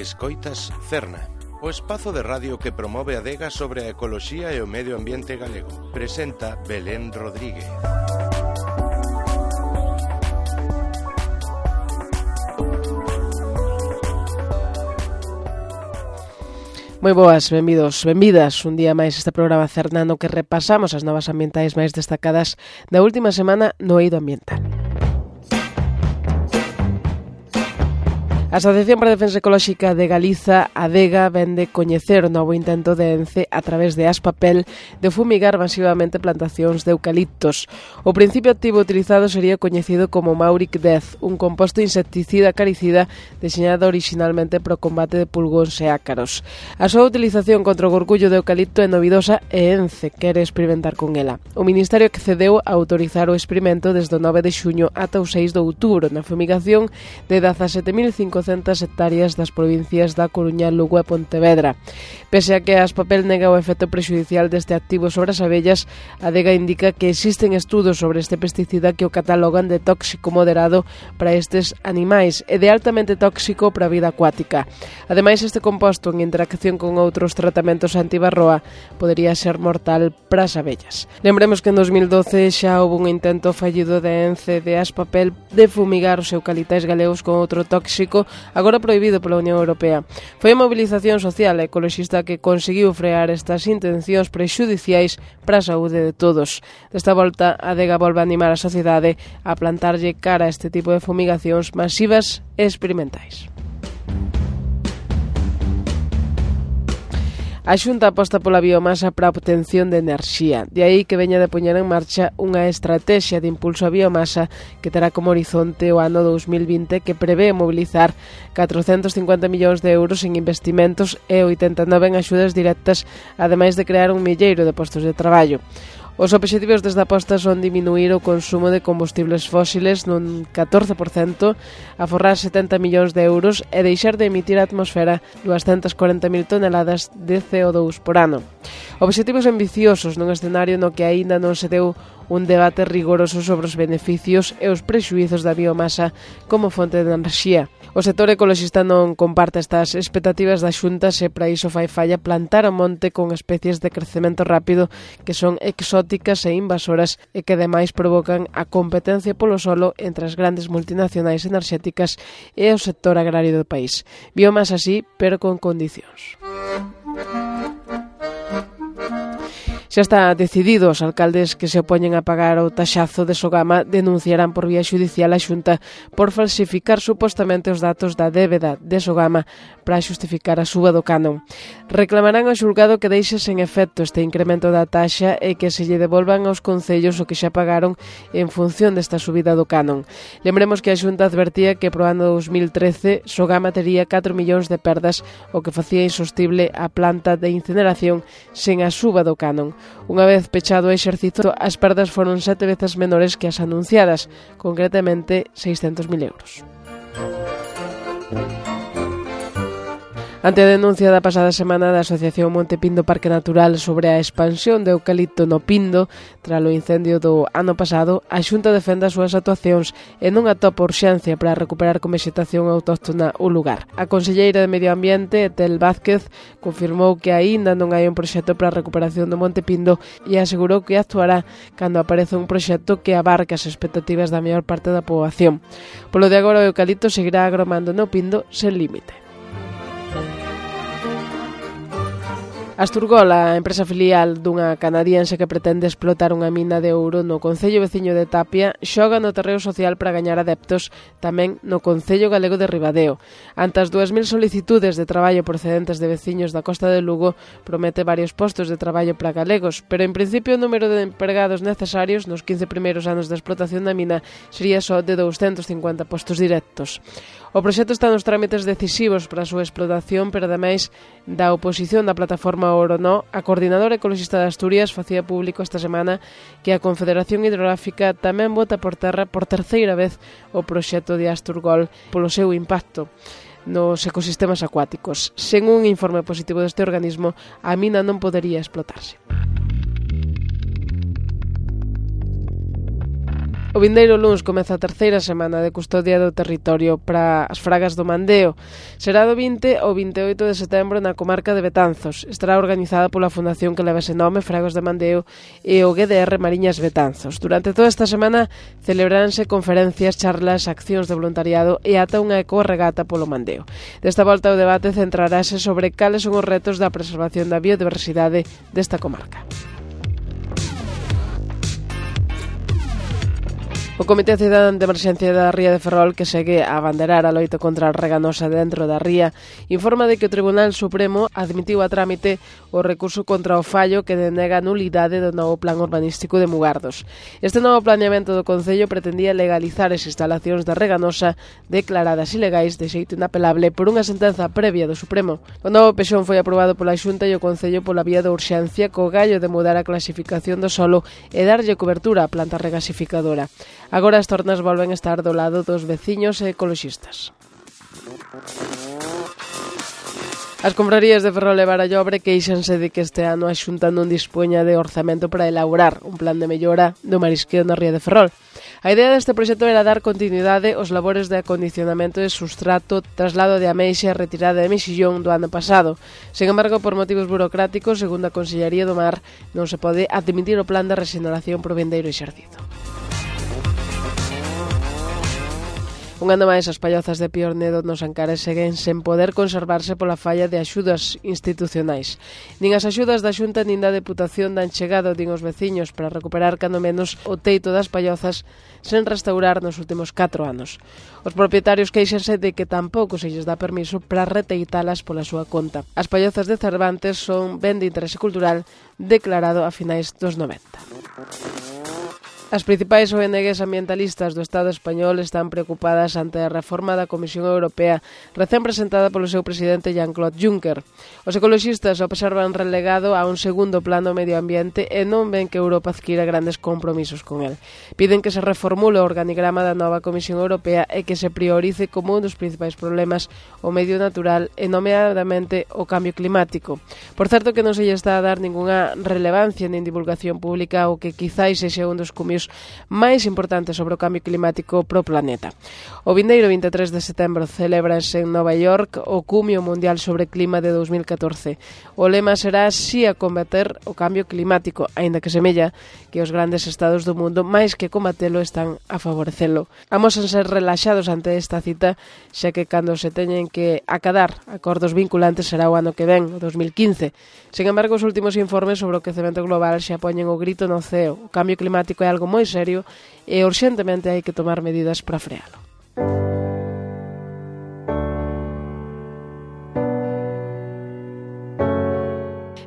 Escoitas Cerna, o espazo de radio que promove a adega sobre a ecoloxía e o medio ambiente galego. Presenta Belén Rodríguez. Moi boas, benvidos, benvidas un día máis este programa Cerna no que repasamos as novas ambientais máis destacadas da última semana no eido ambiental. A Asociación para a Defensa Ecolóxica de Galiza, ADEGA, vende coñecer o novo intento de ENCE a través de Aspapel de fumigar masivamente plantacións de eucaliptos. O principio activo utilizado sería coñecido como Mauric Death, un composto insecticida acaricida deseñado originalmente para o combate de pulgóns e ácaros. A súa utilización contra o gorgullo de eucalipto é novidosa e ENCE quere experimentar con ela. O Ministerio accedeu a autorizar o experimento desde o 9 de xuño ata o 6 de outubro na fumigación de 17.500 hectáreas das provincias da Coruña, Lugo e Pontevedra. Pese a que Aspapel nega o efecto prexudicial deste activo sobre as abellas, a ADEGA indica que existen estudos sobre este pesticida que o catalogan de tóxico moderado para estes animais e de altamente tóxico para a vida acuática. Ademais, este composto en interacción con outros tratamentos antibarroa podería ser mortal para as abellas. Lembremos que en 2012 xa houve un intento fallido de ENCE de Aspapel de fumigar os eucalitais galegos con outro tóxico agora prohibido pola Unión Europea. Foi a mobilización social e ecoloxista que conseguiu frear estas intencións prexudiciais para a saúde de todos. Desta volta, a ADEGA volve a animar a sociedade a plantarlle cara a este tipo de fumigacións masivas e experimentais. A Xunta aposta pola biomasa para a obtención de enerxía. De aí que veña de poñer en marcha unha estrategia de impulso á biomasa que terá como horizonte o ano 2020 que prevé mobilizar 450 millóns de euros en investimentos e 89 en axudas directas, ademais de crear un milleiro de postos de traballo. Os obxectivos desta aposta son diminuir o consumo de combustibles fósiles nun 14%, aforrar 70 millóns de euros e deixar de emitir á atmosfera 240.000 toneladas de CO2 por ano. Obxectivos ambiciosos nun escenario no que aínda non se deu un debate rigoroso sobre os beneficios e os prexuízos da biomasa como fonte de enerxía. O sector ecoloxista non comparte estas expectativas da Xunta se para iso fai falla plantar o monte con especies de crecemento rápido que son exóticas e invasoras e que ademais provocan a competencia polo solo entre as grandes multinacionais enerxéticas e o sector agrario do país. Biomasa así, pero con condicións. Xa está decidido, os alcaldes que se opoñen a pagar o taxazo de Sogama denunciarán por vía xudicial a Xunta por falsificar supostamente os datos da débeda de Sogama para xustificar a suba do canon. Reclamarán ao xulgado que deixe sen efecto este incremento da taxa e que se lle devolvan aos concellos o que xa pagaron en función desta subida do canon. Lembremos que a Xunta advertía que pro ano 2013 Sogama tería 4 millóns de perdas, o que facía insostible a planta de incineración sen a suba do canon. Unha vez pechado o exercicio, as perdas foron 7 veces menores que as anunciadas, concretamente 600.000 euros. Ante a denuncia da pasada semana da Asociación Monte Pindo Parque Natural sobre a expansión de eucalipto no Pindo tras o incendio do ano pasado, a Xunta defende as súas actuacións e non atopa urxencia para recuperar con vexetación autóctona o lugar. A conselleira de Medio Ambiente, Etel Vázquez, confirmou que aínda non hai un proxecto para a recuperación do Monte Pindo e asegurou que actuará cando apareza un proxecto que abarque as expectativas da maior parte da poboación. Polo de agora, o eucalipto seguirá agromando no Pindo sen límite. Asturgol, a empresa filial dunha canadiense que pretende explotar unha mina de ouro no concello veciño de Tapia, xoga no terreo social para gañar adeptos tamén no concello galego de Ribadeo. Ante as 2.000 solicitudes de traballo procedentes de veciños da Costa de Lugo, promete varios postos de traballo para galegos, pero en principio o número de empregados necesarios nos 15 primeiros anos de explotación da mina sería só de 250 postos directos. O proxecto está nos trámites decisivos para a súa explotación, pero ademais da oposición da plataforma Orono, a coordinadora ecoloxista de Asturias facía público esta semana que a Confederación Hidrográfica tamén vota por terra por terceira vez o proxecto de Asturgol polo seu impacto nos ecosistemas acuáticos. Sen un informe positivo deste organismo, a mina non podería explotarse. O vindeiro luns comeza a terceira semana de custodia do territorio para as fragas do Mandeo. Será do 20 ao 28 de setembro na comarca de Betanzos. Estará organizada pola fundación que leva ese nome, Fragos de Mandeo, e o GDR Mariñas Betanzos. Durante toda esta semana celebraránse conferencias, charlas, accións de voluntariado e ata unha ecorregata polo Mandeo. Desta volta o debate centrarase sobre cales son os retos da preservación da biodiversidade desta comarca. O Comité Cidadán de Emerxencia da Ría de Ferrol, que segue a abanderar a loita contra a reganosa dentro da ría, informa de que o Tribunal Supremo admitiu a trámite o recurso contra o fallo que denega a nulidade do novo plan urbanístico de Mugardos. Este novo planeamento do Concello pretendía legalizar as instalacións da reganosa declaradas ilegais de xeito inapelable por unha sentenza previa do Supremo. O novo pexón foi aprobado pola Xunta e o Concello pola vía da urxencia co gallo de mudar a clasificación do solo e darlle cobertura á planta regasificadora. Agora as tornas volven a estar do lado dos veciños e ecoloxistas. As confrarías de Ferrol e Barallobre queixanse de que este ano a Xunta non dispoña de orzamento para elaborar un plan de mellora do marisqueo na ría de Ferrol. A idea deste proxecto era dar continuidade aos labores de acondicionamento de sustrato, traslado de ameixa e retirada de mexillón do ano pasado. Sen embargo, por motivos burocráticos, segundo a Consellería do Mar, non se pode admitir o plan de rexeneración por vindeiro exercido. Un ano máis, as pallozas de Piornedo nos Ancares seguen sen poder conservarse pola falla de axudas institucionais. Nin as axudas da Xunta nin da Deputación dan chegado, din os veciños, para recuperar cando menos o teito das pallozas sen restaurar nos últimos 4 anos. Os propietarios queixanse de que tampouco se lles dá permiso para reteitalas pola súa conta. As pallozas de Cervantes son ben de interese cultural declarado a finais dos 90. As principais ONGs ambientalistas do Estado español están preocupadas ante a reforma da Comisión Europea recén presentada polo seu presidente Jean-Claude Juncker. Os ecoloxistas observan relegado a un segundo plano medio ambiente e non ven que Europa adquira grandes compromisos con el. Piden que se reformule o organigrama da nova Comisión Europea e que se priorice como un dos principais problemas o medio natural e nomeadamente o cambio climático. Por certo que non se lle está a dar ningunha relevancia nin divulgación pública o que quizáis sexa un dos comios máis importantes sobre o cambio climático pro planeta. O vindeiro 23 de setembro celébrase en Nova York o Cumio Mundial sobre Clima de 2014. O lema será "Si a combater o cambio climático", aínda que semella que os grandes estados do mundo, máis que combatelo, están a favorecelo. Amosan ser relaxados ante esta cita, xa que cando se teñen que acadar acordos vinculantes será o ano que ven, o 2015. Sen embargo, os últimos informes sobre o quecemento global xa poñen o grito no ceo. O cambio climático é algo moi serio e urxentemente hai que tomar medidas para frealo.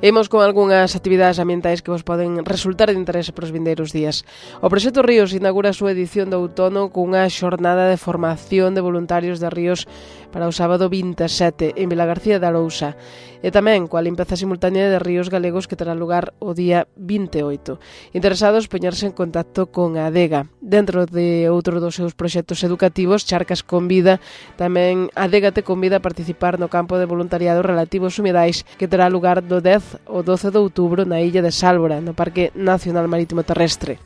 Imos con algunhas actividades ambientais que vos poden resultar de interese para os vindeiros días. O Proxecto Ríos inaugura a súa edición de outono cunha xornada de formación de voluntarios de ríos para o sábado 27 en Vilagarcía de Arousa e tamén coa limpeza simultánea de ríos galegos que terá lugar o día 28. Interesados poñerse en contacto con a Adega. Dentro de outro dos seus proxectos educativos, Charcas Convida, tamén a Adega te convida a participar no campo de voluntariado relativo aos humidais que terá lugar do 10 o 12 de outubro na illa de Sálvora, no Parque Nacional Marítimo Terrestre.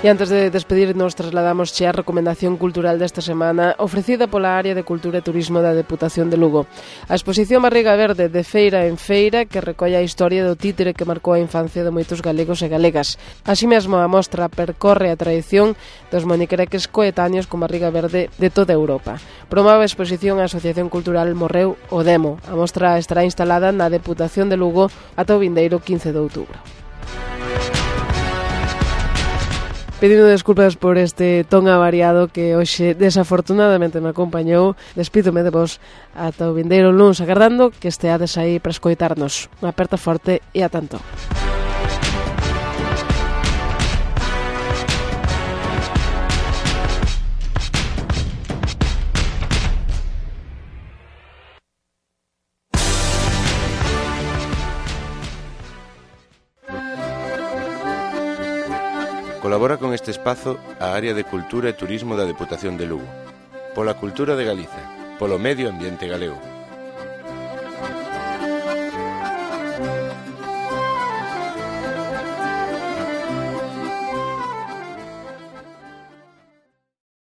E antes de despedirnos, trasladamos a recomendación cultural desta semana ofrecida pola Área de Cultura e Turismo da Deputación de Lugo. A exposición Barriga Verde de Feira en Feira, que recolle a historia do títere que marcou a infancia de moitos galegos e galegas. Así mesmo, a mostra percorre a tradición dos monicreques coetáneos con barriga verde de toda Europa. Promove a exposición a Asociación Cultural Morreu o Demo. A mostra estará instalada na Deputación de Lugo ata o vindeiro 15 de outubro. Pedindo desculpas por este ton avariado que hoxe desafortunadamente me acompañou, despídome de vos ata o vindeiro luns, agardando que esteades aí para escoitarnos. Unha aperta forte e a tanto. Colabora con este espazo a Área de Cultura e Turismo da Deputación de Lugo. Pola cultura de Galiza, polo medio ambiente galego.